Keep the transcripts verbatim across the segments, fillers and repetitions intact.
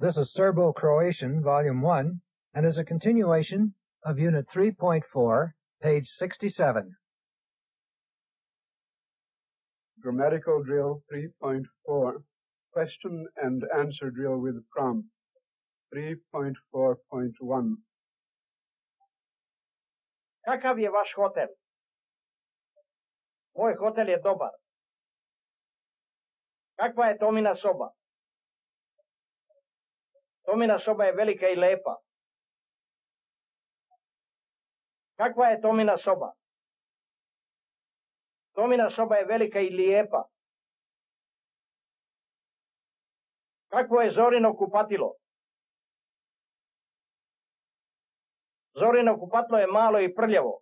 This is Serbo-Croatian, Volume one, and is a continuation of Unit three point four, page sixty-seven. Grammatical Drill three point four, Question and Answer Drill with Prompt, three point four point one. Kakav je vaš hotel? Moj hotel je dobar. Kakva je Tomina soba? Tomina soba je velika i lepa. Kakva je Tomina soba? Tomina soba je velika i lijepa. Kakvo je Zorino kupatilo? Zorino kupatilo je malo i prljavo.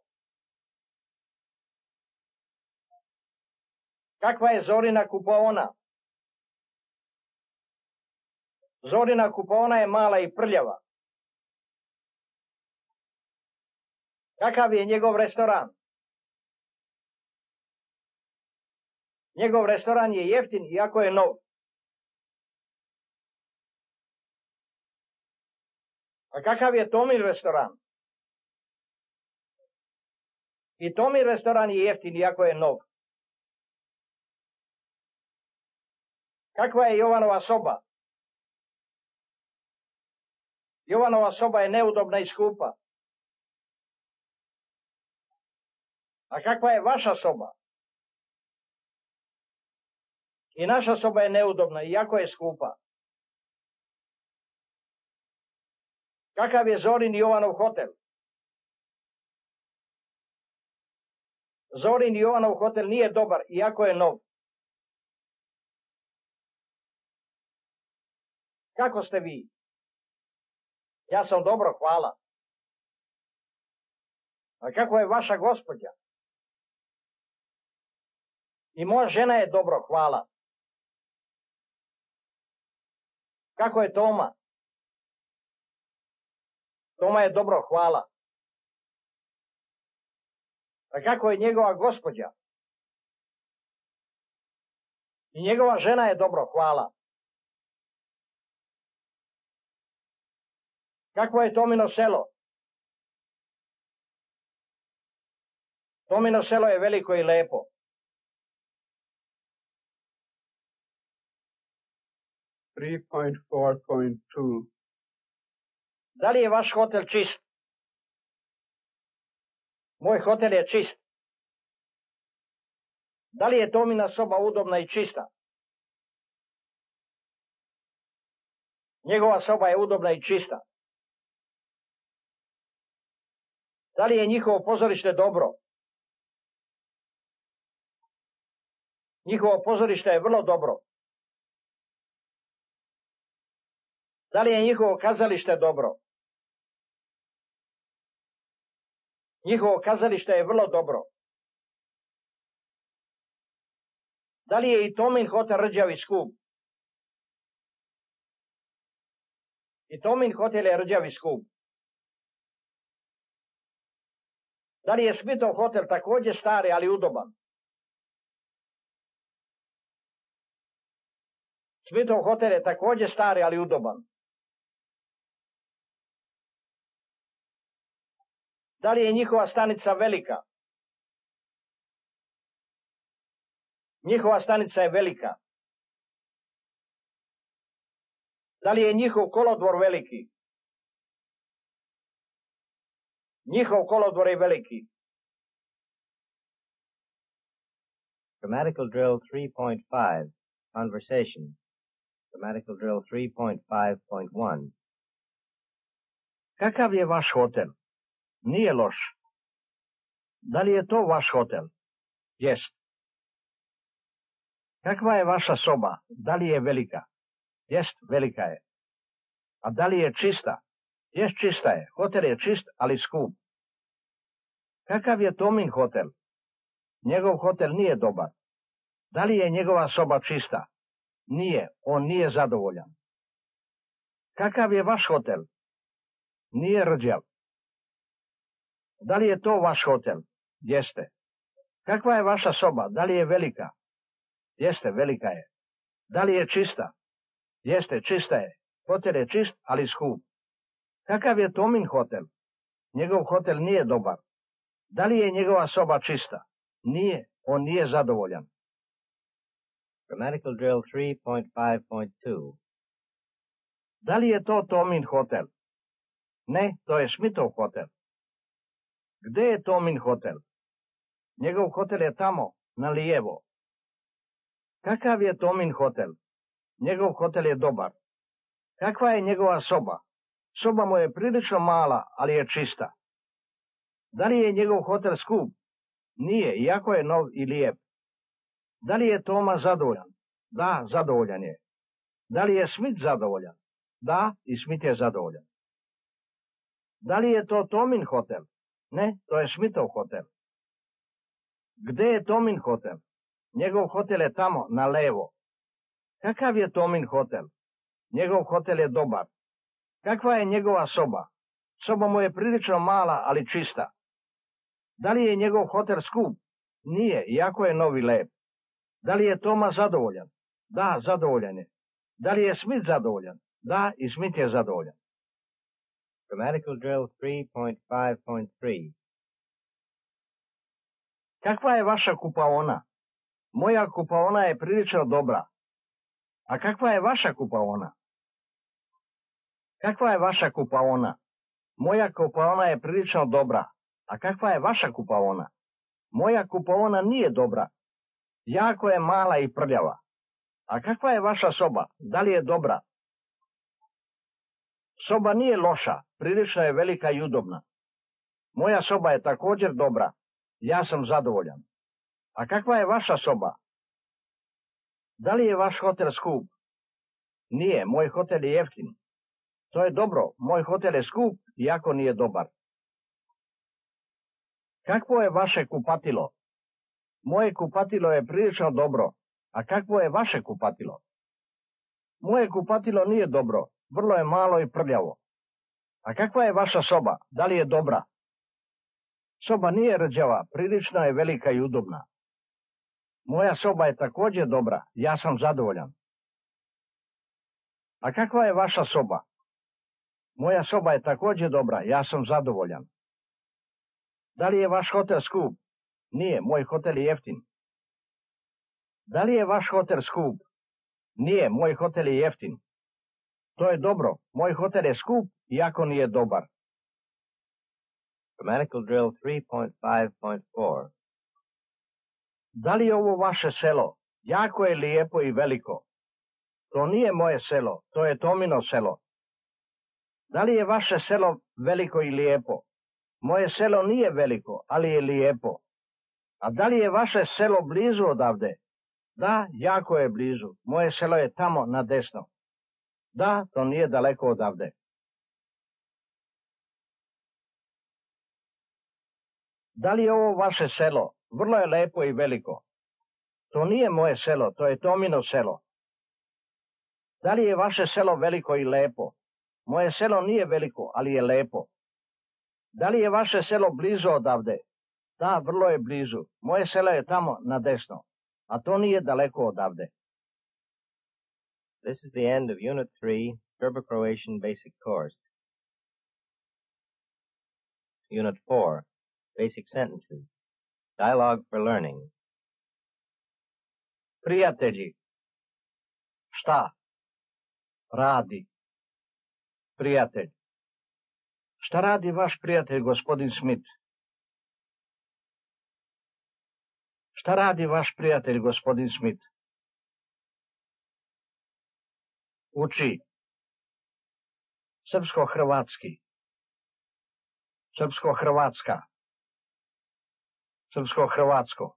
Kakva je Zorina kupaona? Zorina kupaona je mala i prljava. Kakav je njegov restoran? Njegov restoran je jeftin iako je nov. A kakav je Tomin restoran? I Tomin restoran je jeftin iako je nov. Kakva je Jovanova soba? Jovanova soba je neudobna i skupa. A kakva je vaša soba? I naša soba je neudobna, iako je skupa. Kakav je Zorin Jovanov hotel? Zorin Jovanov hotel nije dobar, iako je nov. Kako ste vi? Ja sam dobro, hvala. A kako je vaša gospođa? I moja žena je dobro, hvala. Kako je Toma? Toma je dobro, hvala. A kako je njegova gospođa? I njegova žena je dobro, hvala. Kakvo je Tomino selo? Tomino selo je veliko i lepo. three point four point two. Da li je vaš hotel čist? Moj hotel je čist. Da li je Tomina soba udobna i čista? Njegova soba je udobna i čista. Da li je njihovo pozorište dobro? Njihovo pozorište je vrlo dobro. Da li je njihovo kazalište dobro? Njihovo kazalište je vrlo dobro. Da li je i Tomin hotel rđav i skup? I Tomin hotel je rđav i skup. Da li je Smitov hotel također stari, ali udoban? Smitov hotel je također stari, ali udoban. Da li je njihova stanica velika? Njihova stanica je velika. Da li je njihov kolodvor veliki? Njihov kolodvor je veliki. Grammatical Drill three point five, Conversation. Grammatical Drill three point five point one. Kakav je vaš hotel? Nije loš. Da li je to vaš hotel? Jest. Kakva je vaša soba? Da li je velika? Jest, velika je. A da li je čista? Jest, čista je. Hotel je čist, ali skup. Kakav je Tomin hotel? Njegov hotel nije dobar. Da li je njegova soba čista? Nije, on nije zadovoljan. Kakav je vaš hotel? Nije rđav. Da li je to vaš hotel? Jeste. Kakva je vaša soba? Da li je velika? Jeste, velika je. Da li je čista? Jeste, čista je. Hotel je čist, ali skup. Kakav je Tomin hotel? Njegov hotel nije dobar. Da li je njegova soba čista? Nije, on nije zadovoljan. Grammatical drill three point five point two. Da li je to Tomin hotel? Ne, to je Smithov hotel. Gde je Tomin hotel? Njegov hotel je tamo, na lijevo. Kakav je Tomin hotel? Njegov hotel je dobar. Kakva je njegova soba? Soba mu je prilično mala, ali je čista. Da li je njegov hotel skup? Nije, iako je nov i lijep. Da li je Toma zadovoljan? Da, zadovoljan je. Da li je Smith zadovoljan? Da, i Smith je zadovoljan. Da li je to Tomin hotel? Ne, to je Smithov hotel. Gde je Tomin hotel? Njegov hotel je tamo, na levo. Kakav je Tomin hotel? Njegov hotel je dobar. Kakva je njegova soba? Soba mu je prilično mala, ali čista. Da li je njegov hotel skup? Nije, iako je novi lep. Da li je Toma zadovoljan? Da, zadovoljan je. Da li je Smith zadovoljan? Da, i Smith je zadovoljan. Grammatical drill three point five point three. Kakva je vaša kupaona? Moja kupaona je prilično dobra. A kakva je vaša kupaona? Kakva je vaša kupaona? Moja kupaona je prilično dobra. A kakva je vaša kupaona? Moja kupaona nije dobra. Jako je mala i prljava. A kakva je vaša soba? Da li je dobra? Soba nije loša, prilično je velika i udobna. Moja soba je također dobra. Ja sam zadovoljan. A kakva je vaša soba? Da li je vaš hotel skup? Nije, moj hotel je jeftin. To je dobro, moj hotel je skup, iako nije dobar. Kakvo je vaše kupatilo? Moje kupatilo je prilično dobro. A kakvo je vaše kupatilo? Moje kupatilo nije dobro, vrlo je malo i prljavo. A kakva je vaša soba? Da li je dobra? Soba nije rđava, prilično je velika i udobna. Moja soba je također dobra, ja sam zadovoljan. A kakva je vaša soba? Moja soba je također dobra, ja sam zadovoljan. Da li je vaš hotel skup? Nije, moj hotel je jeftin. Da li je vaš hotel skup? Nije, moj hotel je jeftin. To je dobro, moj hotel je skup, iako nije dobar. Grammatical drill three point five point four. Da li je ovo vaše selo? Jako je lijepo i veliko. To nije moje selo, to je Tomino selo. Da li je vaše selo veliko i lijepo? Moje selo nije veliko, ali je lijepo. A da li je vaše selo blizu odavde? Da, jako je blizu. Moje selo je tamo na desno. Da, to nije daleko odavde. Da li je ovo vaše selo? Vrlo je lepo i veliko. To nije moje selo, to je Tomino selo. Da li je vaše selo veliko i lepo? Moje selo nije veliko, ali je lepo. Da li je vaše selo blizu odavde? Da, vrlo je blizu. Moje selo je tamo na desno. A to nije daleko odavde. This is the end of Unit three, Serbo-Croatian Basic Course. Unit four, Basic Sentences. Dialogue for Learning. Prijatelji. Šta? Radi. Prijatelj. Šta radi vaš prijatelj, gospodin Smith? Šta radi vaš prijatelj, gospodin Smith? Uči. Srpsko-hrvatski. Srpsko-hrvatska. Srpsko-hrvatsko.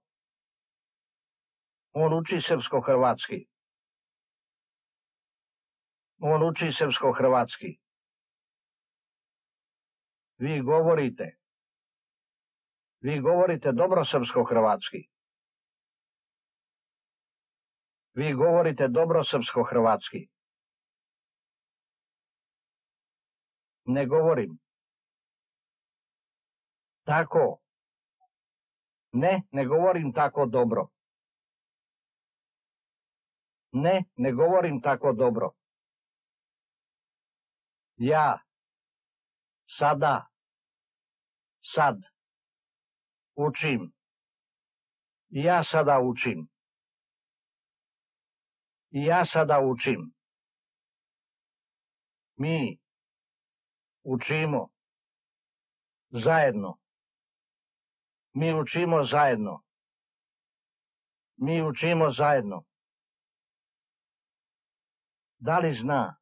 On uči srpsko-hrvatski. On uči srpsko-hrvatski. Vi govorite. Vi govorite dobro srpsko-hrvatski. Vi govorite dobro srpsko-hrvatski. Ne govorim. Tako. Ne, ne govorim tako dobro. Ne, ne govorim tako dobro. Ja. Sada. Sad. Učim. Ja sada učim. Ja sada učim. Mi. Učimo. Zajedno. Mi učimo zajedno. Mi učimo zajedno. Da li zna?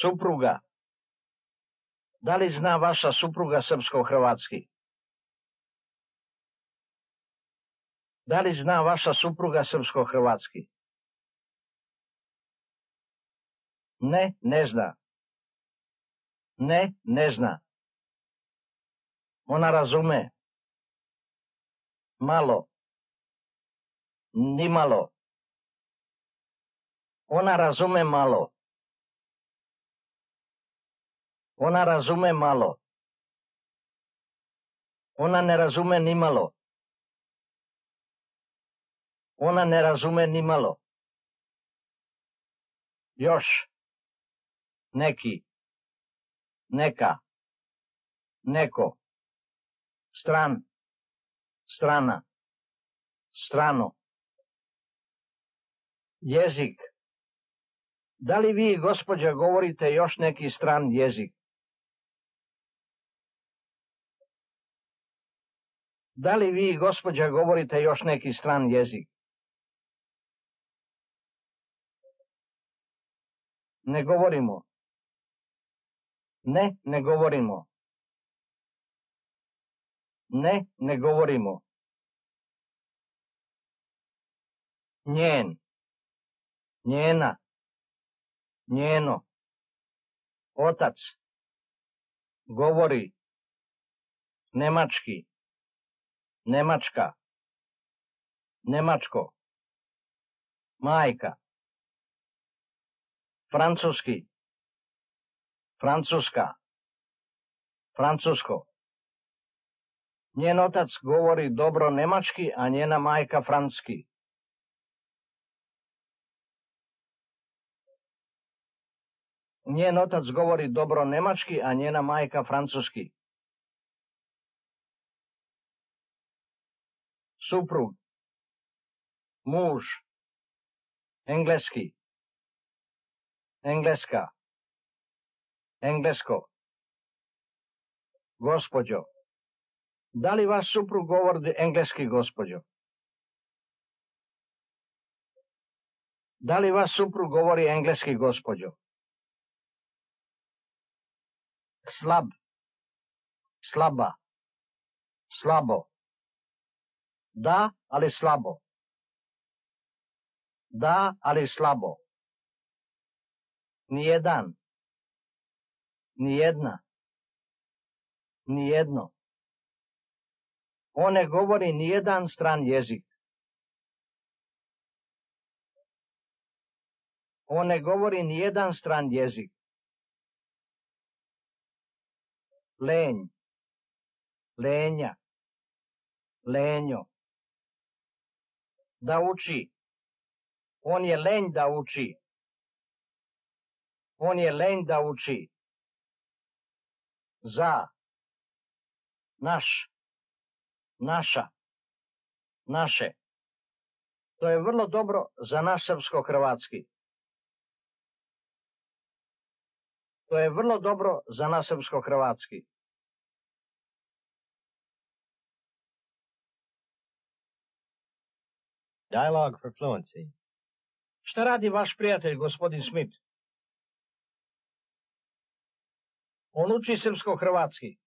Supruga. Da li zna vaša supruga srpsko-hrvatski? Da li zna vaša supruga srpsko-hrvatski? Ne, ne zna. Ne, ne zna. Ona razume. Malo. Ni malo. Ona razume malo. Ona razume malo. Ona ne razume ni malo. Ona ne razume ni malo. Još. Neki. Neka. Neko. Stran. Strana. Strano. Jezik. Da li vi, gospođa, govorite još neki stran jezik? Da li vi, gospođa, govorite još neki stran jezik? Ne govorimo. Ne, ne govorimo. Ne, ne govorimo. Njen. Njena. Njeno. Otac. Govori. Nemački. Nemačka. Nemačko. Majka. Francuski. Francuska. Francusko. Njen otac govori dobro nemački, a njena majka francuski. Njen otac govori dobro nemački, a njena majka francuski. Suprug. Muž. Engleski. Engleska. Englesko. Gospođo. Da li vaš suprug govori engleski, gospođo? Da li vaš suprug govori engleski, gospođo? Slab. Slaba. Slabo. Da, ali slabo. Da, ali slabo. Nijedan. Nijedna. Nijedno. On ne govori nijedan stran jezik. On ne govori nijedan stran jezik. Lenj. Lenja. Lenjo. Da uči. On je lenj da uči. On je lenj da uči. Za. Naš. Naša. Naše. To je vrlo dobro za naš srpsko-hrvatski. To je vrlo dobro za naš srpsko-hrvatski. Dialogue for fluency. Šta radi vaš prijatelj, gospodin Smith? On uči srpsko-hrvatski.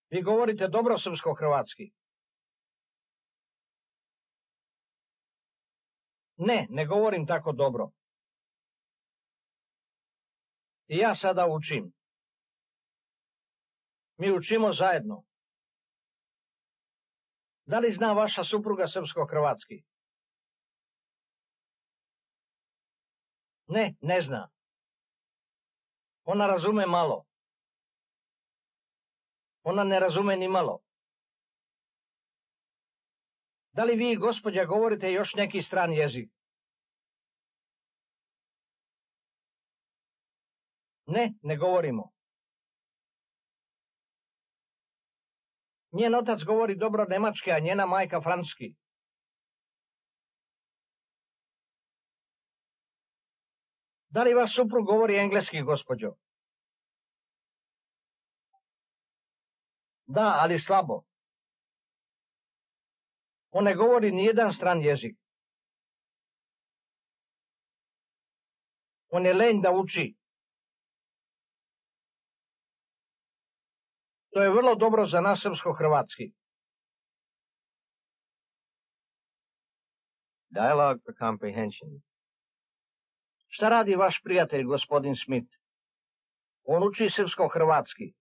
Vi govorite dobro srpsko-hrvatski. Ne, ne govorim tako dobro. I ja sada učim. Mi učimo zajedno. Da li zna vaša supruga srpsko-hrvatski? Ne, ne zna. Ona razume malo. Ona ne razume ni malo. Da li vi, gospođa, govorite još neki stran jezik? Ne, ne govorimo. Njen otac govori dobro nemački, a njena majka francuski. Da li vaš suprug govori engleski, gospođo? Da, ali slabo. On ne govori ni jedan stran jezik. On je lenj da uči. To je vrlo dobro za nas srpsko-hrvatski. Dialogue for comprehension. Šta radi vaš prijatelj, gospodin Smith? On uči srpsko-hrvatski.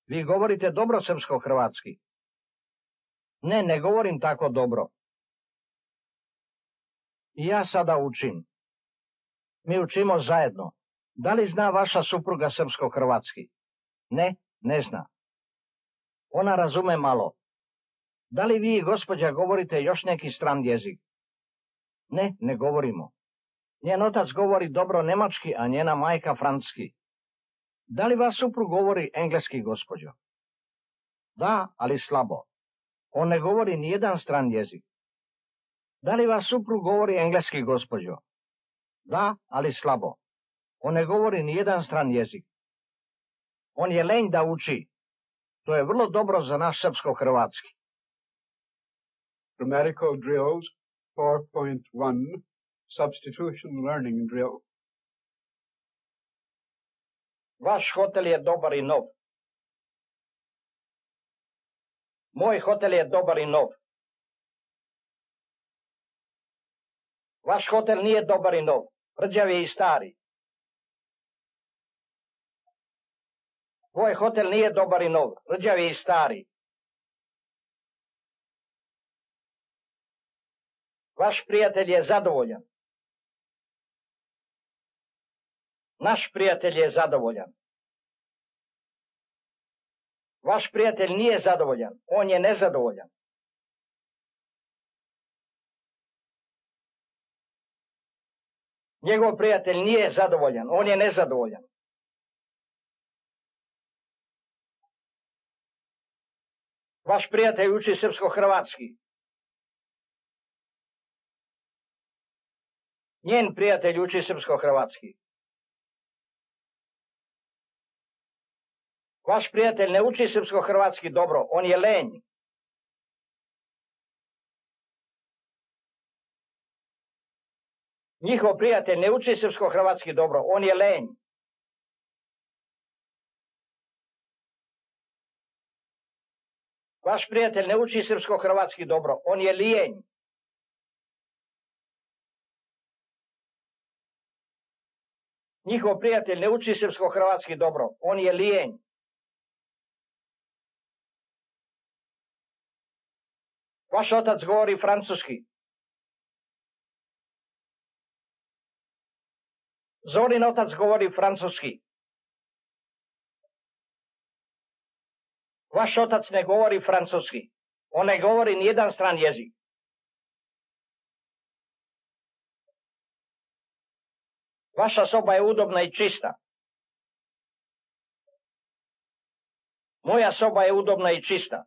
Vi govorite dobro srpsko-hrvatski. Ne, ne govorim tako dobro. I ja sada učim. Mi učimo zajedno. Da li zna vaša supruga srpsko-hrvatski? Ne, ne zna. Ona razume malo. Da li vi, gospođa, govorite još neki stran jezik? Ne, ne govorimo. Njen otac govori dobro nemački, a njena majka francuski. Da li vaš suprug govori engleski, gospođo? Da, ali slabo. On ne govori ni jedan stran jezik. Da li vaš suprug govori engleski, gospođo? Da, ali slabo. On ne govori ni jedan stran jezik. On je lenj da uči. To je vrlo dobro za naš srpsko-hrvatski. Grammatical drills four point one, substitution learning drill. Vaš hotel je dobar i nov. Moj hotel je dobar i nov. Vaš hotel nije dobar i nov. Rđav je i stari. Tvoj hotel nije dobar i nov. Rđav je i stari. Vaš prijatelj je zadovoljan. Naš prijatelj je zadovoljan. Vaš prijatelj nije zadovoljan. On je nezadovoljan. Njegov prijatelj nije zadovoljan. On je nezadovoljan. Vaš prijatelj uči srpsko-hrvatski. Njen prijatelj uči srpsko-hrvatski. Vaš prijatelj ne uči srpsko-hrvatski dobro, on je lenj. Njihov prijatelj ne uči srpsko-hrvatski dobro, on je lenj. Vaš prijatelj ne uči srpsko-hrvatski dobro, on je lijenj. Njihov prijatelj ne uči srpsko-hrvatski dobro, on je lijenj. Vaš otac govori francuski. Zorin otac govori francuski. Vaš otac ne govori francuski. On ne govori nijedan stran jezik. Vaša soba je udobna i čista. Moja soba je udobna i čista.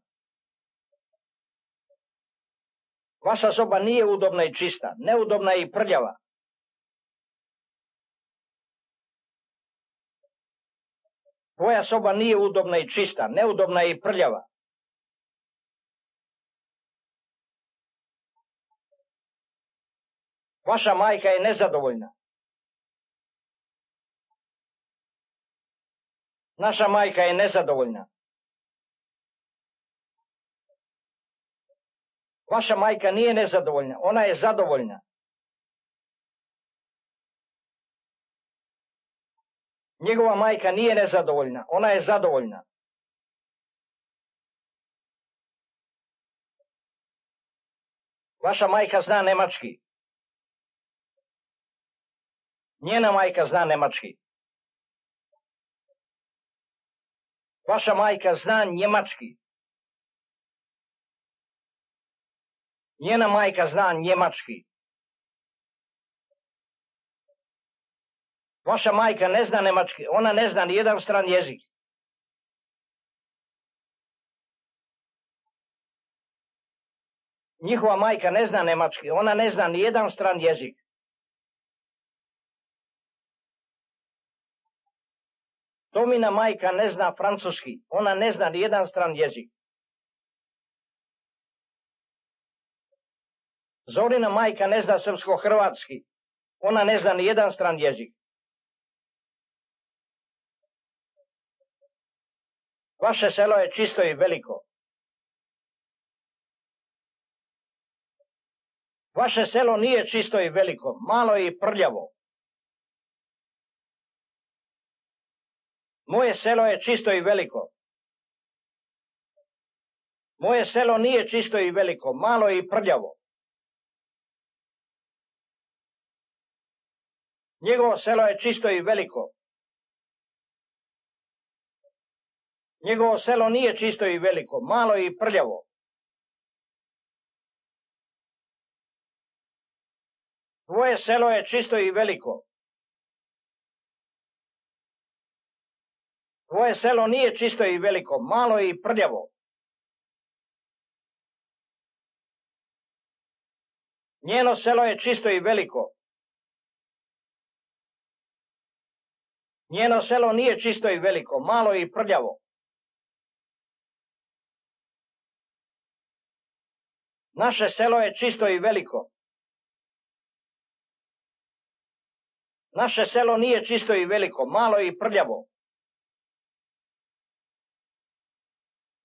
Vaša soba nije udobna i čista. Neudobna je i prljava. Tvoja soba nije udobna i čista. Neudobna je i prljava. Vaša majka je nezadovoljna. Naša majka je nezadovoljna. Vaša majka nije nezadovoljna, ona je zadovoljna. Njegova majka nije nezadovoljna, ona je zadovoljna. Vaša majka zna nemački. Njena majka zna nemački. Vaša majka zna njemački. Njena majka zna njemački. Vaša majka ne zna nemački, ona ne zna ni jedan stran jezik. Njihova majka ne zna nemački, ona ne zna ni jedan stran jezik. Tomina majka ne zna francuski, ona ne zna ni jedan stran jezik. Zorina majka ne zna srpsko-hrvatski, ona ne zna ni jedan stran jezik. Vaše selo je čisto i veliko. Vaše selo nije čisto i veliko, malo je i prljavo. Moje selo je čisto i veliko. Moje selo nije čisto i veliko, malo je i prljavo. Njegovo selo je čisto i veliko. Njegovo selo nije čisto i veliko, malo je i prljavo. Tvoje selo je čisto i veliko. Tvoje selo nije čisto i veliko, malo je i prljavo. Njeno selo je čisto i veliko. Njeno selo nije čisto i veliko, malo je i prljavo. Naše selo je čisto i veliko. Naše selo nije čisto i veliko, malo je i prljavo.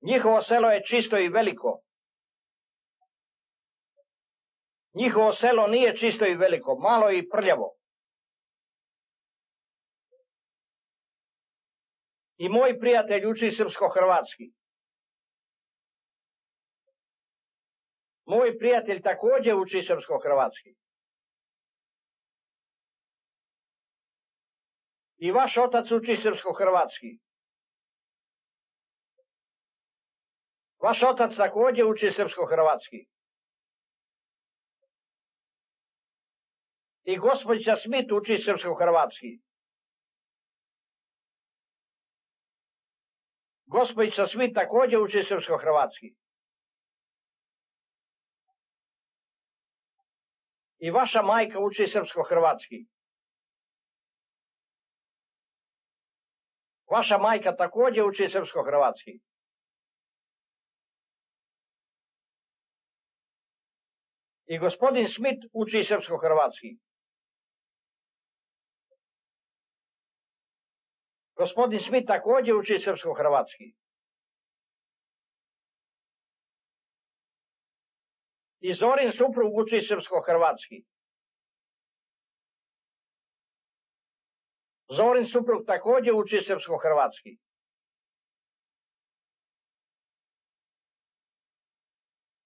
Njihovo selo je čisto i veliko. Njihovo selo nije čisto i veliko, malo je i prljavo. I moj prijatelj uči srpsko-hrvatski. Moj prijatelj također uči srpsko-hrvatski. I vaš otac uči srpsko-hrvatski. Vaš otac također uči srpsko-hrvatski. I gospođica Smith uči srpsko-hrvatski. Gospođica Smith također uči srpsko-hrvatski. I vaša majka uči srpsko-hrvatski. Vaša majka također uči srpsko-hrvatski. I gospodin Smith uči srpsko-hrvatski. Gospodin Smith također uči srpsko-hrvatski. I Zorin suprug uči srpsko-hrvatski. Zorin suprug također uči srpsko-hrvatski.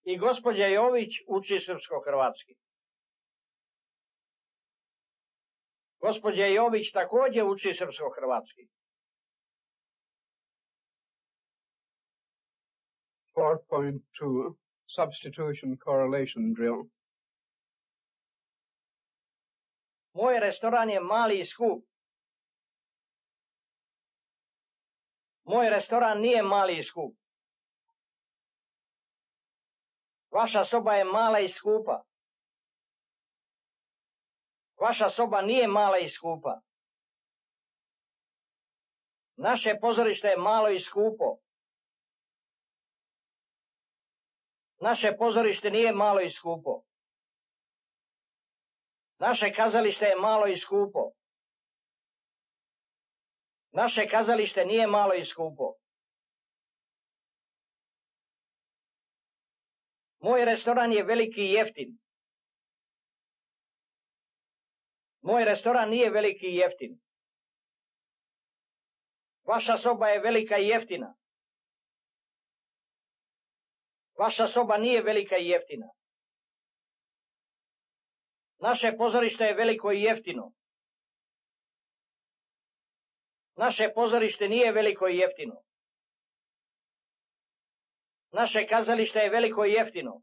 I gospođa Jović uči srpsko-hrvatski. Gospođa Jović također uči srpsko-hrvatski. four point two Substitution Correlation Drill. Moj restoran je mali i skup. Moj restoran nije mali i skup. Vaša soba je mala i skupa. Vaša soba nije mala i skupa. Naše pozorište je malo i skupo. Naše pozorište nije malo i skupo. Naše kazalište je malo i skupo. Naše kazalište nije malo i skupo. Moj restoran je veliki i jeftin. Moj restoran nije veliki i jeftin. Vaša soba je velika i jeftina. Vaša soba nije velika i jeftina. Naše pozorište je veliko i jeftino. Naše pozorište nije veliko i jeftino. Naše kazalište je veliko i jeftino.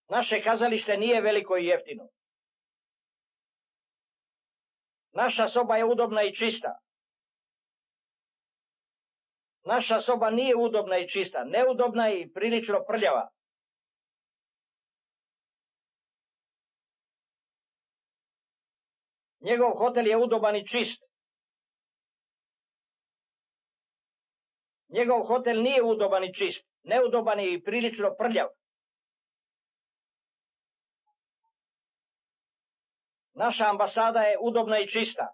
Naše kazalište nije veliko i jeftino. Naša soba je udobna i čista. Naša soba nije udobna i čista, neudobna je i prilično prljava. Njegov hotel je udoban i čist. Njegov hotel nije udoban i čist, neudoban je i prilično prljav. Naša ambasada je udobna i čista.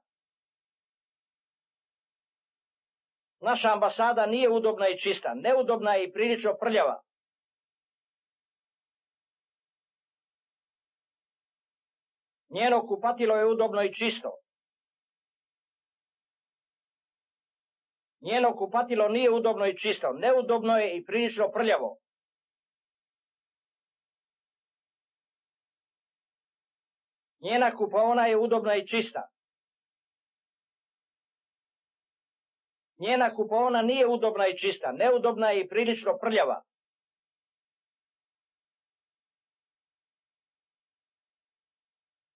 Naša ambasada nije udobna i čista, neudobna je i prilično prljava. Njeno kupatilo je udobno i čisto. Njeno kupatilo nije udobno i čisto, neudobno je i prilično prljavo. Njena kupaona je udobna i čista. Njena kupaona nije udobna i čista, neudobna je i prilično prljava.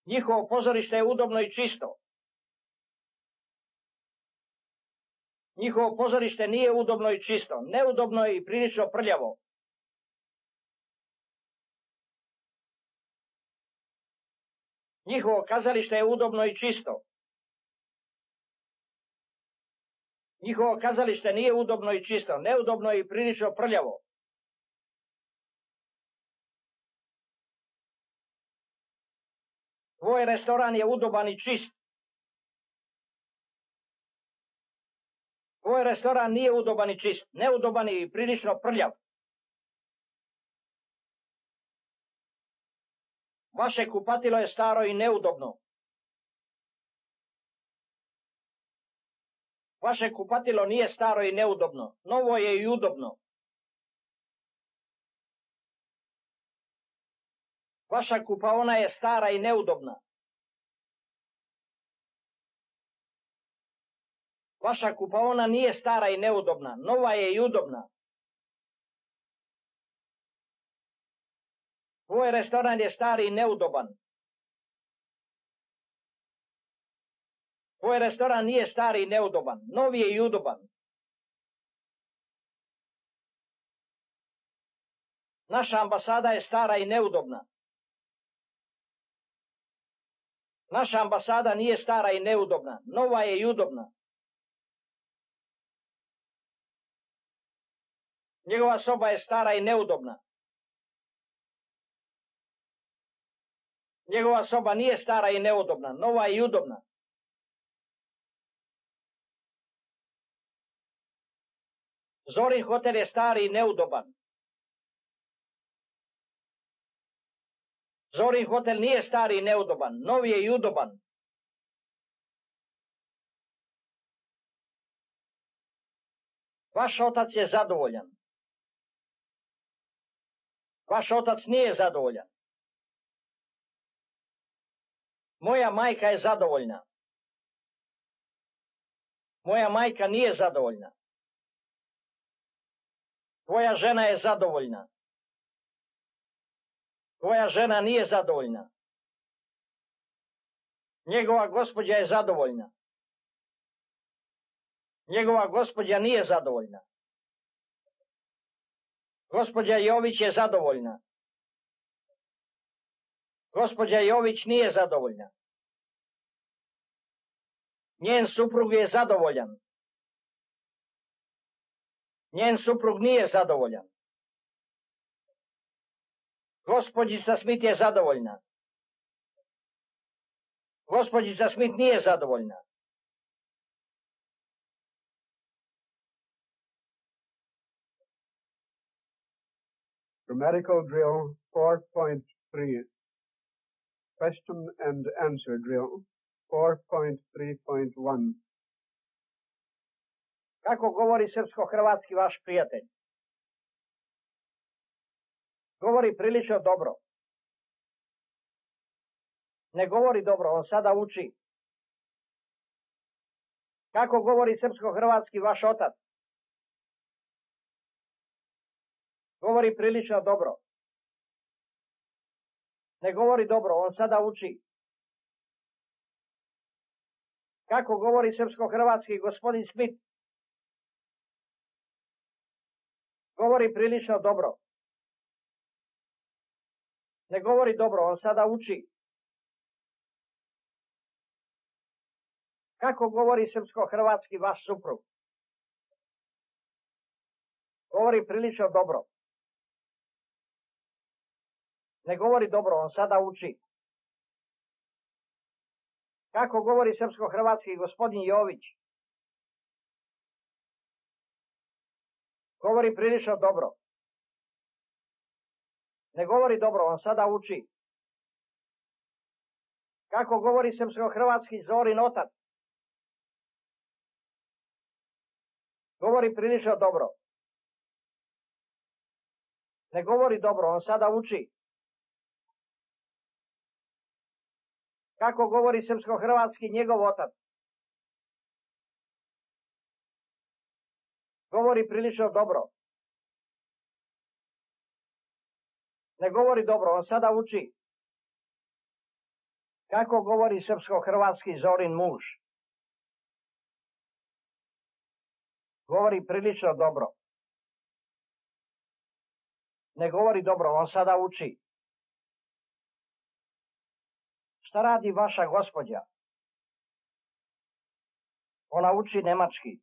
Njihovo pozorište je udobno i čisto. Njihovo pozorište nije udobno i čisto, neudobno je i prilično prljavo. Njihovo kazalište je udobno i čisto. Njihovo kazalište nije udobno i čisto, neudobno je i prilično prljavo. Tvoj restoran je udoban i čist. Tvoj restoran nije udoban i čist, neudoban je i prilično prljav. Vaše kupatilo je staro i neudobno. Vaše kupatilo nije staro i neudobno, novo je i udobno. Vaša kupaona je stara i neudobna. Vaša kupaona nije stara i neudobna, nova je i udobna. Tvoj restoran je stari i neudoban. Tvoj restoran nije stari i neudoban, novi je i udoban. Naša ambasada je stara i neudobna. Naša ambasada nije stara i neudobna, nova je i udobna. Njegova soba je stara i neudobna. Njegova soba nije stara i neudobna, nova je i udobna. Zorin hotel je stari i neudoban. Zorin hotel nije stari i neudoban, novi je i udoban. Vaš otac je zadovoljan. Vaš otac nije zadovoljan. Moja majka je zadovoljna. Moja majka nije zadovoljna. Tvoja žena je zadovoljna. Tvoja žena nije zadovoljna. Njegova gospođa je zadovoljna. Njegova gospođa nije zadovoljna. Gospođa Jović je zadovoljna. Gospođa Jović nije zadovoljna. Njen suprug je zadovoljan. Njen suprug nije zadovoljan. Gospođica Smith je zadovoljna. Gospođica Smith nije zadovoljna. Grammatical drill four point three. Question and answer drill four point three point one. Kako govori srpsko-hrvatski vaš prijatelj? Govori prilično dobro. Ne govori dobro, on sada uči. Kako govori srpsko-hrvatski vaš otac? Govori prilično dobro. Ne govori dobro, on sada uči. Kako govori srpsko-hrvatski gospodin Smith? Govori prilično dobro. Ne govori dobro, on sada uči. Kako govori srpsko-hrvatski vaš suprug? Govori prilično dobro. Ne govori dobro, on sada uči. Kako govori srpsko-hrvatski gospodin Jović? Govori prilično dobro. Ne govori dobro, on sada uči. Kako govori srpsko-hrvatski Zorin otac? Govori prilično dobro. Ne govori dobro, on sada uči. Kako govori srpsko-hrvatski njegov otac? Govori prilično dobro. Ne govori dobro, on sada uči. Kako govori srpsko-hrvatski Zorin muž? Govori prilično dobro. Ne govori dobro, on sada uči. Šta radi vaša gospođa? Ona uči nemački.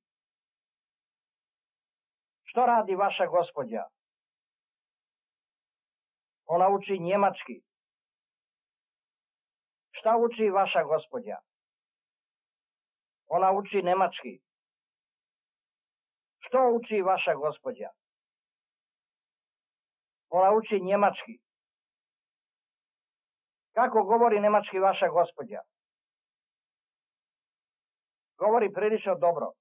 Što radi vaša gospođa? Ona uči njemački. Šta uči vaša gospođa? Ona uči nemački. Što uči vaša gospođa? Ona uči njemački. Kako govori nemački vaša gospođa? Govori prilično dobro.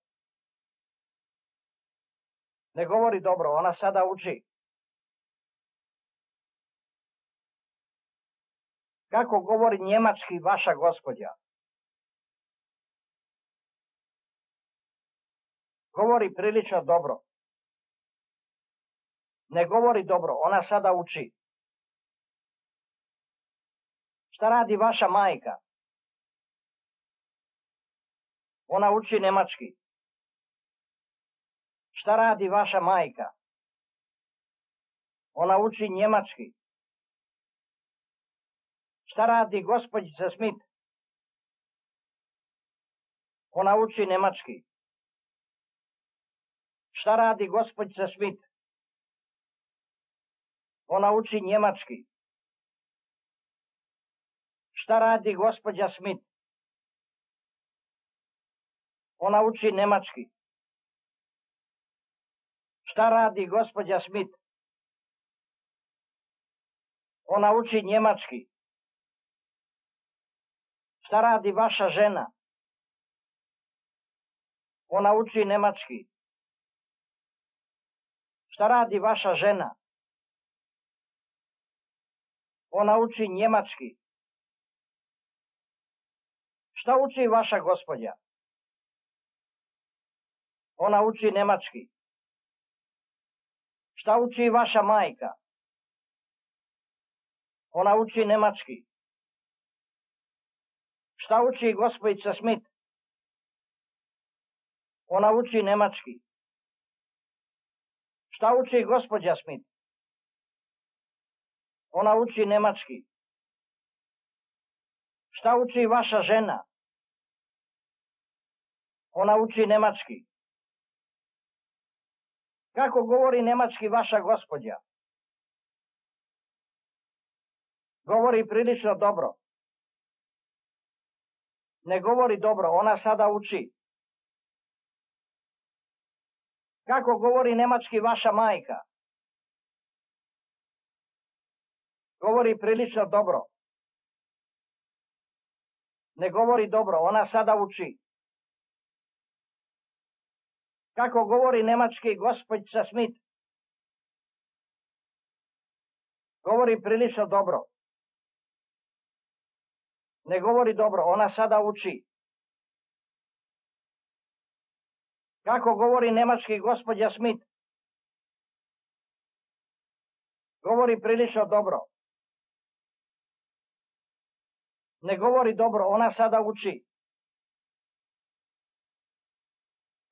Ne govori dobro, ona sada uči. Kako govori njemački vaša gospođa? Govori prilično dobro. Ne govori dobro, ona sada uči. Šta radi vaša majka? Ona uči nemački. Šta radi vaša majka? Ona uči njemački. Šta radi gospođica Smith? Ona uči nemački. Šta radi gospođica Smith? Ona uči njemački. Šta radi gospođa Smith? Ona uči nemački. Šta radi gospođa Smith? Ona uči njemački. Šta radi vaša žena? Ona uči nemački. Šta radi vaša žena? Ona uči njemački. Šta uči vaša gospođa? Ona uči nemački. Šta uči vaša majka? Ona uči nemački. Šta uči gospođica Smith? Ona uči nemački. Šta uči gospođa Smith? Ona uči nemački. Šta uči vaša žena? Ona uči nemački. Kako govori nemački vaša gospođa? Govori prilično dobro. Ne govori dobro, ona sada uči. Kako govori nemački vaša majka? Govori prilično dobro. Ne govori dobro, ona sada uči. Kako govori nemački gospođica Smith? Govori prilično dobro. Ne govori dobro, ona sada uči. Kako govori nemački gospođa Smith? Govori prilično dobro. Ne govori dobro, ona sada uči.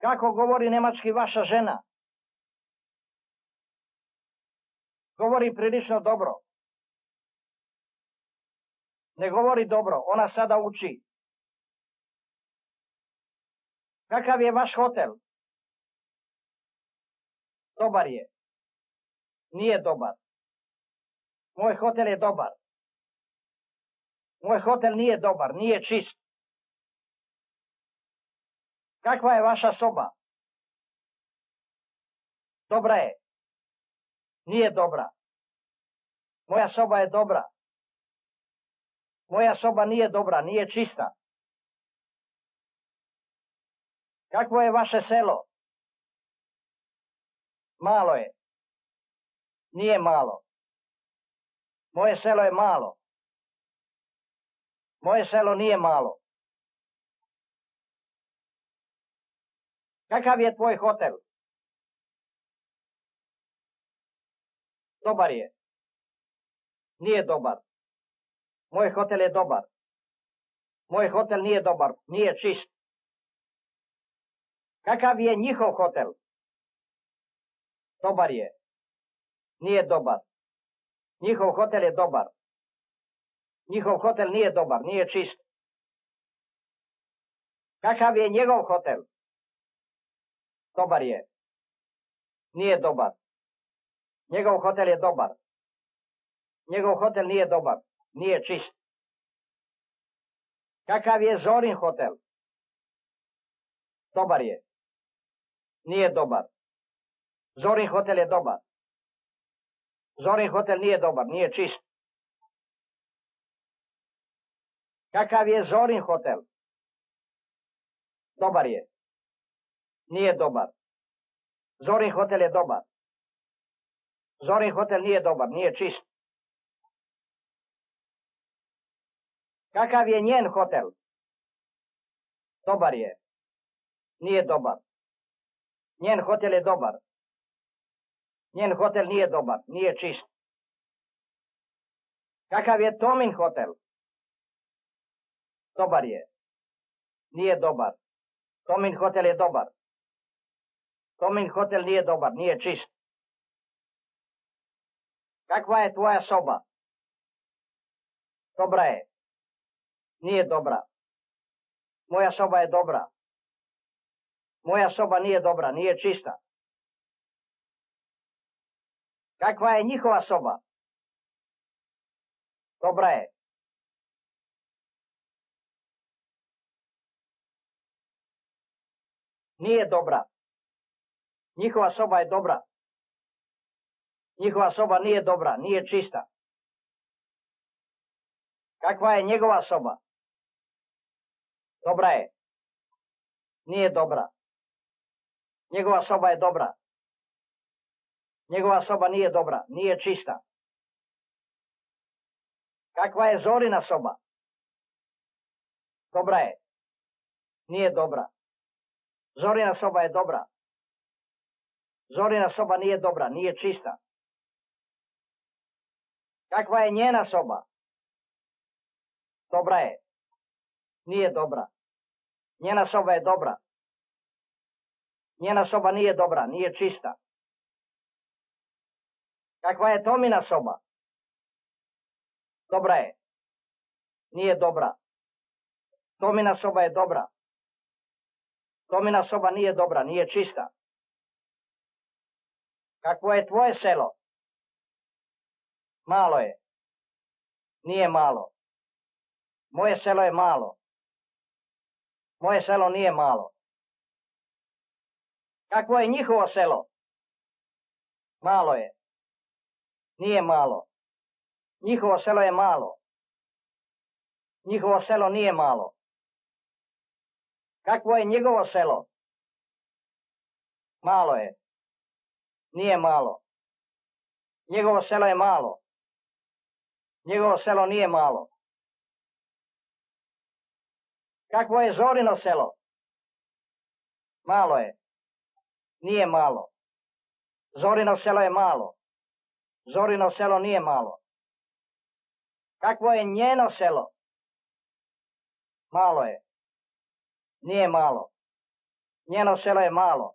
Kako govori nemački vaša žena? Govori prilično dobro. Ne govori dobro, ona sada uči. Kakav je vaš hotel? Dobar je. Nije dobar. Moj hotel je dobar. Moj hotel nije dobar, nije čist. Kakva je vaša soba? Dobra je. Nije dobra. Moja soba je dobra. Moja soba nije dobra, nije čista. Kakvo je vaše selo? Malo je. Nije malo. Moje selo je malo. Moje selo nije malo. Kakav je tvoj hotel? Dobar je. Nije dobar. Moj hotel je dobar. Moj hotel nije dobar, nije čist. Kakav je njihov hotel? Dobar je. Nije dobar. Njihov hotel je dobar. Njihov hotel nije dobar, nije čist. Kakav je njegov hotel? Dobar je. Nije dobar. Njegov hotel je dobar. Njegov hotel nije dobar, nije čist. Kakav je Zorin hotel? Dobar je. Nije dobar. Zorin hotel je dobar. Zorin hotel nije dobar, nije čist. Kakav je Zorin hotel? Dobar je. Nije dobar. Zorin hotel je dobar. Zorin hotel nije dobar, nije čist. Kakav je njen hotel? Dobar je. Nije dobar. Njen hotel je dobar. Njen hotel nije dobar, nije čist. Kakav je Tomin hotel? Dobar je. Nije dobar. Tomin hotel je dobar. Tomin hotel nije dobar, nije čist. Kakva je tvoja soba? Dobra je. Nije dobra. Moja soba je dobra. Moja soba nije dobra, nije čista. Kakva je njihova soba? Dobra je. Nije dobra. Njihova soba je dobra. Njihova soba nije dobra, nije čista. Kakva je njegova soba? Dobra je. Nije dobra. Njegova soba je dobra. Njegova soba nije dobra, nije čista. Kakva je Zorina soba? Dobra je. Nije dobra. Zorina soba je dobra. Zorina soba nije dobra, nije čista. Kakva je njena soba? Dobra je. Nije dobra. Njena soba je dobra. Njena soba nije dobra, nije čista. Kakva je Tomina soba? Dobra je. Nije dobra. Tomina soba je dobra. Tomina soba nije dobra, nije čista. Kakvo je tvoje selo? Malo je. Nije malo. Moje selo je malo. Moje selo nije malo. Kakvo je njihovo selo? Malo je. Nije malo. Njihovo selo je malo. Njihovo selo nije malo. Kakvo je njegovo selo? Malo je. Nije malo. Njegovo selo je malo. Njegovo selo nije malo. Kakvo je Zorino selo? Malo je. Nije malo. Zorino selo je malo. Zorino selo nije malo. Kakvo je njeno selo? Malo je. Nije malo. Njeno selo je malo.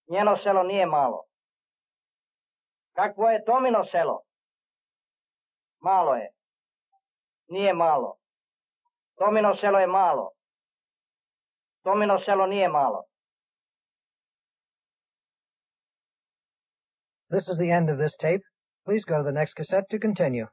Njeno selo nije malo. Kakvo je Tomino selo? Malo je. Nije malo. Tomino selo je malo. Tomino selo nije malo. This is the end of this tape. Please go to the next cassette to continue.